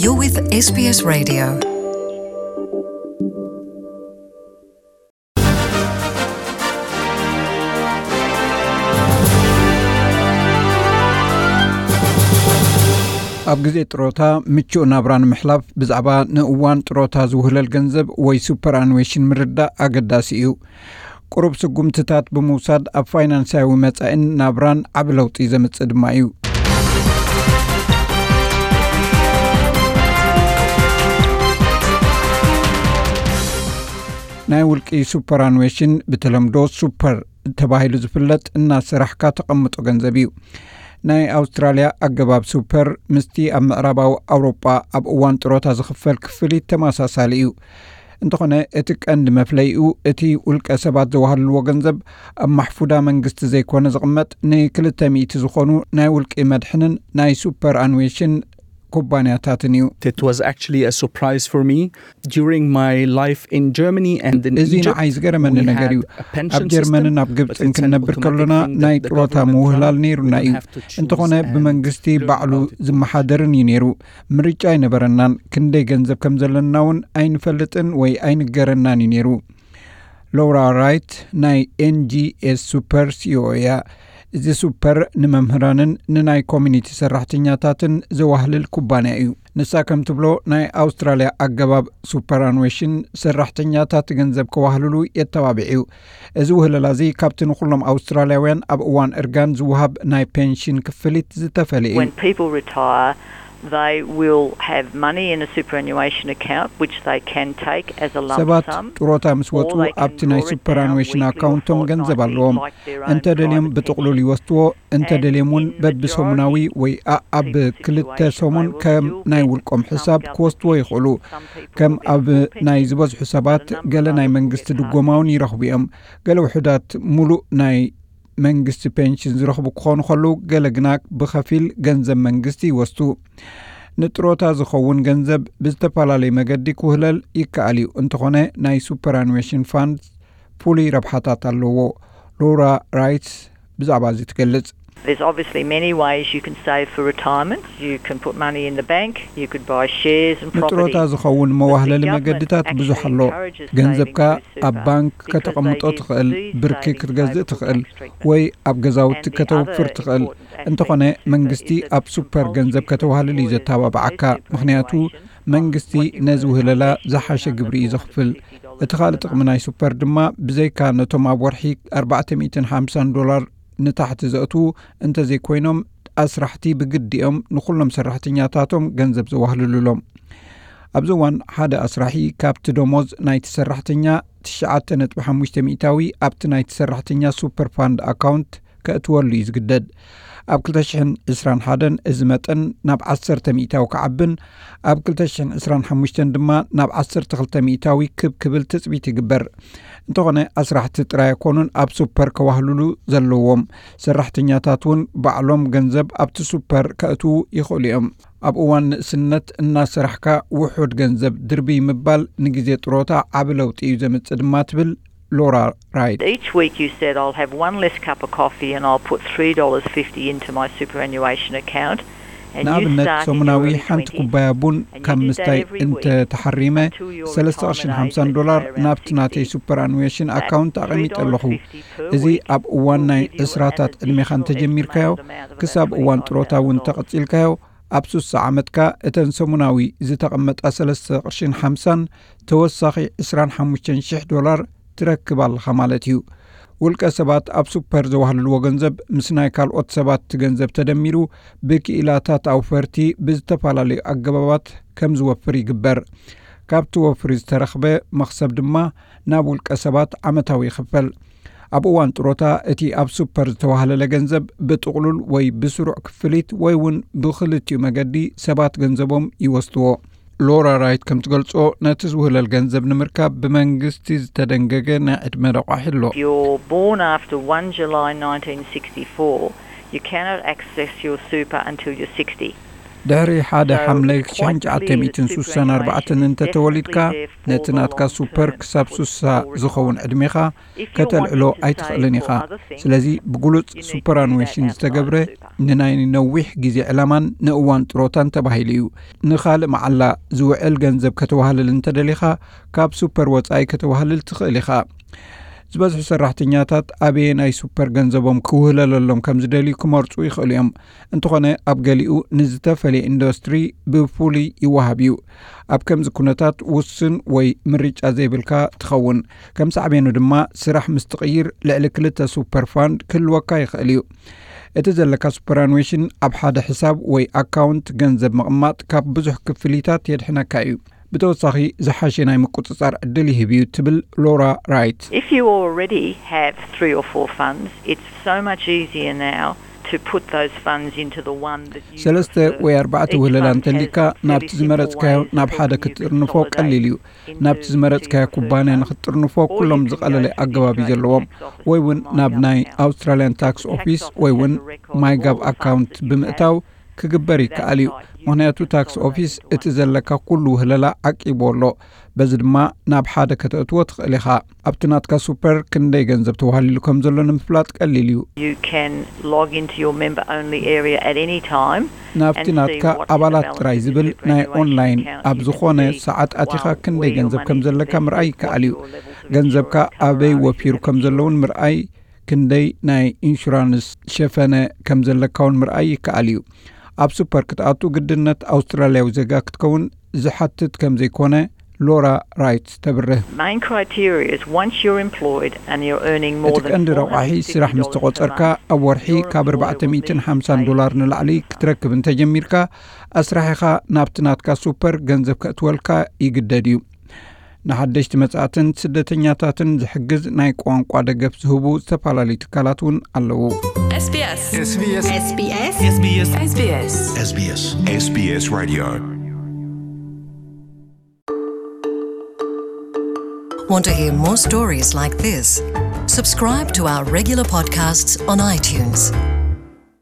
You're with S B S Radio. ኣብ ግዜ ጥሮታ ምቹእ ናብራ ንምሕላፍ ብዛዕባ ንእዋን ጥሮታ ዝውህለል ገንዘብ ወይ ሱፐር ኣኑዌሽን ምርዳእ ኣገዳሲ እዩ። ቁሩብ ስጉምትታት ብምውሳድ ኣብ ፋይናንሳዊ መጻኢን ናብራን ዓቢ ለውጢ ዘምጽእ ድማ እዩ። ናይ ውልቂ ሱፐር ኣኑዌሽን፣ ብተለምዶ ሱፐር ተባሂሉ ዝፍለጥ፣ እናሰራሕካ ተቐምጦ ገንዘብ እዩ። ናይ ኣውስትራልያ ኣገባብ ሱፐር ምስቲ ኣብ ምዕራባዊ ኣውሮጳ ኣብ እዋን ጥሮታ ዝኽፈል ክፍሊት ተመሳሳሊ እዩ። እንተኾነ እቲ ቀንዲ መፍለይኡ እቲ ውልቀ ሰባት ዘዋህልልዎ ገንዘብ ኣብ ማሕፉዳ መንግስቲ ዘይኮነ ዝቕመጥ፣ ንክልተ ሚእቲ ዝኾኑ ናይ ውልቂ መድሕንን ናይ ሱፐር ኣኑዌሽን ኩባንያታትን እዩ። It was actually a surprise for me. During my life in Germany and in እዚ ንዓይ ዝገረመኒ ነገር እዩ። ኣብ ጀርመንን ኣብ ግብፅን ክንነብር ከሎና ናይ ጥሮታ ምውህላል ነይሩና እዩ። እንተኾነ ብመንግስቲ ባዕሉ ዝመሓደርን እዩ ነይሩ። ምርጫ ኣይነበረናን። ክንደይ ገንዘብ ከም ዘለና እውን ኣይንፈልጥን ወይ ኣይንገረናን እዩ ነይሩ። ሎራ ራይት ናይ ኤንጂኤስ ሱፐር ሲኢኦ እያ። እዚ ሱፐር ንመምህራንን ንናይ ኮሚኒቲ ሰራሕተኛታትን ዘዋህልል ኩባንያ እዩ። ንሳ ከም ትብሎ፣ ናይ ኣውስትራልያ ኣገባብ ሱፐር ኣኑዌሽን ሰራሕተኛታት ገንዘብ ከዋህልሉ የተባብዕ እዩ። እዚ ውህለላ እዚ ካብቲ ንኹሎም ኣውስትራልያውያን ኣብ እዋን እርጋን ዝወሃብ ናይ ፔንሽን ክፍሊት ዝተፈለ እዩ። When people retire, they will have money in a superannuation account which they can take as a lump ሰባት sum. ጥሮታ ምስ ወፁ ኣብቲ ናይ ሱፐር ኣኑዌሽን ኣካውንቶም ገንዘብ ኣለዎም። እንተ ደልዮም ብጥቕሉል ይወስድዎ፣ እንተ ደልዮም እውን በብሰሙናዊ ወይ ኣብ ክልተ ሰሙን ከም ናይ ውልቆም ሕሳብ ክወስድዎ ይኽእሉ። ከም ኣብ ናይ ዝበዝሑ ሰባት ገለ ናይ መንግስቲ ድጎማ እውን ይረኽቡ እዮም። ገለ ውሑዳት ሙሉእ ናይ መንግስቲ ፔንሽን ዝረኽቡ ክኾኑ ከለዉ፣ ገለ ግና ብኸፊል ገንዘብ መንግስቲ ይወስዱ። ንጥሮታ ዝኸውን ገንዘብ ብዝተፈላለዩ መገዲ ክውህለል ይከኣል እዩ። እንተኾነ ናይ ሱፐር ኣኑዌሽን ፋንድ ፍሉይ ረብሓታት ኣለዎ። ሎራ ራይትስ ብዛዕባ እዚ ትገልጽ። There's obviously many ways you can save for retirement. You can put money in the bank, you could buy shares and property. ንጥሮታ ዝኸውን መዋህለሊ መገድታት ብዙሕ ኣሎ። ገንዘብካ ኣብ ባንክ ከተቐምጦ ትኽእል፣ ብርኪ ክትገዝእ ትኽእል፣ ወይ ኣብ ገዛውቲ ከተውፍር ትኽእል። እንተኾነ መንግስቲ ኣብ ሱፐር ገንዘብ ከተዋህልል እዩ ዘተባብዓካ። ምኽንያቱ መንግስቲ ነዚ ውህለላ ዝሓሸ ግብሪ እዩ ዘኽፍል። እቲ ካልእ ጥቕሚ ናይ ሱፐር ድማ ብዘይካ ነቶም ኣብ ወርሒ ኣርባዕተ ሚእትን ሓምሳን ዶላር ንታሕቲ ዘእትዉ እንተዘይኮይኖም፣ ኣስራሕቲ ብግዲኦም ንኹሎም ሰራሕተኛታቶም ገንዘብ ዘዋህልሉሎም። ኣብዚ እዋን ሓደ ኣስራሒ ካብቲ ደሞዝ ናይቲ ሰራሕተኛ ትሽዓተ ነጥቢ ሓሙሽተ ሚእታዊ ኣብቲ ናይቲ ሰራሕተኛ ሱፐር ፋንድ ኣካውንት ከእትወሉ እዩ ዝግደድ። ኣብ ክልተ ሽሕን ዕስራን ሓደን እዚ መጠን ናብ ዓሰርተ ሚእታዊ ክዓብን ኣብ ክልተ ሽሕን ዕስራን ሓሙሽተን ድማ ናብ ዓሰርተ ክልተ ሚእታዊ ክብ ክብል ትጽቢት ይግበር። እንተኾነ ኣስራሕቲ ጥራይ ኣይኮኑን ኣብ ሱፐር ከዋህልሉ ዘለዎም። ሰራሕተኛታት እውን ባዕሎም ገንዘብ ኣብቲ ሱፐር ከእትዉ ይኽእሉ እዮም። ኣብ እዋን ንእስነት እናሰራሕካ ውሑድ ገንዘብ ድርብይ ምባል ንግዜ ጥሮታ ዓቢ ለውጢ እዩ ዘምጽእ ድማ ትብል ሎራ ራይት። Each week you said, "I'll have one less cup of coffee and I'll put three dollars fifty into my superannuation account." And you ንኣብነት started ሰሙናዊ your early ሓንቲ twenties. ኩባያ ቡን ካብ ምስታይ እንተ ተሓሪመ ሰለስተ ቅርሽን ሓምሳን ዶላር ናብቲ ናተይ ሱፐር ኣኑዌሽን ኣካውንት ኣቐሚጠ ኣለኹ። እዚ ኣብ እዋን ናይ ዕስራታት ዕድሜኻ እንተጀሚርካዮ ክሳብ እዋን ጥሮታ እውን እንተቐጺልካዮ፣ ኣብ ሱሳ ዓመትካ እተን ሰሙናዊ ዝተቐመጣ ሰለስተ ቅርሽን ሓምሳን ተወሳኺ ዕስራን ሓሙሽተን ሽሕ ዶላር ትረክብ ኣለኻ ማለት እዩ። ውልቀ ሰባት ኣብ ሱፐር ዘዋህልልዎ ገንዘብ ምስ ናይ ካልኦት ሰባት ገንዘብ ተደሚሩ ብክኢላታት ኣውፈርቲ ብዝተፈላለዩ ኣገባባት ከም ዝወፍር ይግበር። ካብቲ ወፍሪ ዝተረኽበ መኽሰብ ድማ ናብ ውልቀ ሰባት ዓመታዊ ይኽፈል። ኣብ እዋን ጥሮታ እቲ ኣብ ሱፐር ዝተዋህለለ ገንዘብ ብጥቕሉል ወይ ብስሩዕ ክፍሊት ወይ እውን ብኽልቲኡ መገዲ ሰባት ገንዘቦም ይወስድዎ። ሎራ ራይት ከም ትገልጾ፣ ነቲ ዝውህለል ገንዘብ ንምርካብ ብመንግስቲ ዝተደንገገ ናይ ዕድመ ረቋሒ ኣሎ። If you're born after one July nineteen sixty-four, you cannot access your super until you're sixty. ድሕሪ ሓደ ሓምለ ሽሕን ትሽዓተ ሚእትን ስሳን ኣርባዕተን እንተተወሊድካ፣ ነቲ ናትካ ሱፐር ክሳብ ስሳ ዝኸውን ዕድሜኻ ከተልዕሎ ኣይትኽእልን ኢኻ። ስለዚ ብግሉጽ ሱፐራኑዌሽን ዝተገብረ ንናይ ነዊሕ ግዜ ዕላማን ንእዋን ጥሮታን ተባሂሉ እዩ። ንኻልእ መዓላ ዝውዕል ገንዘብ ከተዋህልል እንተደሊኻ፣ ካብ ሱፐር ወጻኢ ከተዋህልል ትኽእል ኢኻ። ዝበዝሑ ሰራሕተኛታት ኣበየናይ ሱፐር ገንዘቦም ክውህለለሎም ከም ዝደልዩ ክመርጹ ይኽእሉ እዮም። እንተኾነ ኣብ ገሊኡ ንዝተፈለየ ኢንዱስትሪ ብፍሉይ ይወሃብ እዩ። ኣብ ከምዚ ኩነታት ውስን ወይ ምርጫ ዘይብልካ ትኸውን። ከም ሳዕቤኑ ድማ ስራሕ ምስ ትቕይር ልዕሊ ክልተ ሱፐር ፋንድ ክህልወካ ይኽእል እዩ። እቲ ዘለካ ሱፐራኑዌሽን ኣብ ሓደ ሕሳብ ወይ ኣካውንት ገንዘብ ምቕማጥ ካብ ብዙሕ ክፍሊታት የድሕነካ እዩ። ብተወሳኺ ዝሓሸ ናይ ምቁጽጻር ዕድል ይህብ እዩ ትብል ሎራ ራይት። If you already have three or four funds, it's so much easier now to put those funds into the one that you ሰለስተ ወይ ኣርባዕተ ውህለላ እንተሊካ ናብቲ ዝመረጽካዮ ናብ ሓደ ክትጥርንፎ ቀሊል እዩ። ናብቲ ዝመረጽካዮ ኩባንያ ንክትጥርንፎ ኩሎም ዝቐለለ ኣገባብ እዩ ዘለዎም። ወይ እውን ናብ ናይ ኣውስትራልያን ታክስ ኦፊስ ወይ እውን ማይጋብ ኣካውንት ብምእታው ክግበር ይከኣል እዩ። ምኽንያቱ ታክስ ኦፊስ እቲ ዘለካ ኩሉ ውህለላ ዓቂቡ ኣሎ። በዚ ድማ ናብ ሓደ ከተእትዎ ትኽእል ኢኻ። ኣብቲ ናትካ ሱፐር ክንደይ ገንዘብ ተዋህሊሉ ከም ዘሎ ንምፍላጥ ቀሊል እዩ። You can log into your member only area at any time. ናብቲ ናትካ ኣባላት ጥራይ ዝብል ናይ ኦንላይን ኣብ ዝኾነ ሰዓት ኣቲኻ ክንደይ ገንዘብ ከም ዘለካ ምርኣይ ይከኣል እዩ። ገንዘብካ ኣበይ ወፊሩ ከም ዘለውን ምርኣይ፣ ክንደይ ናይ ኢንሹራንስ ሸፈነ ከም ዘለካ እውን ምርኣይ ይከኣል እዩ። ኣብ ሱፐር ክትኣቱ ግድነት ኣውስትራልያዊ ዜጋ ክትከውን ዝሓትት ከም ዘይኮነ ሎራ ራይት ተብርህ። Main criteria is once you're employed and you're earning more እቲ than ቀንዲ ረቋሒ ስራሕ ምስ ተቆጸርካ ኣብ ወርሒ ካብ ኣርባዕተ ሚእትን ሓምሳን ዶላር ንላዕሊ ክትረክብ እንተጀሚርካ ኣስራሒኻ ናብቲ ናትካ ሱፐር ገንዘብ ከእትወልካ ይግደድ እዩ። ንሓደሽቲ መጻእትን ስደተኛታትን ዝሕግዝ ናይ ቋንቋ ደገፍ ዝህቡ ዝተፈላለዩ ትካላት እውን ኣለዉ። SBS SBS SBS SBS SBS SBS SBS Radio. Want to hear more stories like this? Subscribe to our regular podcasts on iTunes.